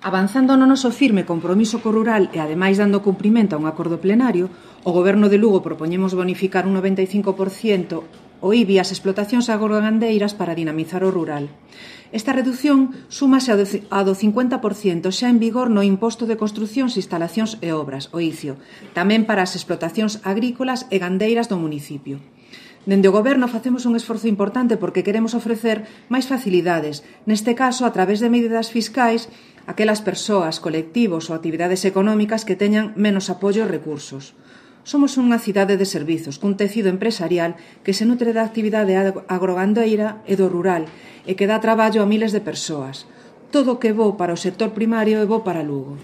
Avanzando no noso firme compromiso co rural e, ademais, dando cumprimento a un acordo plenario, o Goberno de Lugo propoñemos bonificar un 95% o IBI ás explotacións agrogandeiras para dinamizar o rural. Esta reducción súmase ao do 50% xa en vigor no Imposto de Construcións, Instalacións e Obras, o ICIO, tamén para as explotacións agrícolas e gandeiras do municipio. Dende o Goberno facemos un esforzo importante porque queremos ofrecer máis facilidades, neste caso a través de medidas fiscais, aquelas persoas, colectivos ou actividades económicas que teñan menos apoio e recursos. Somos unha cidade de servizos, cun tecido empresarial que se nutre da actividade agrogandeira e do rural e que dá traballo a miles de persoas. Todo o que é bo para o sector primario é bo para Lugo.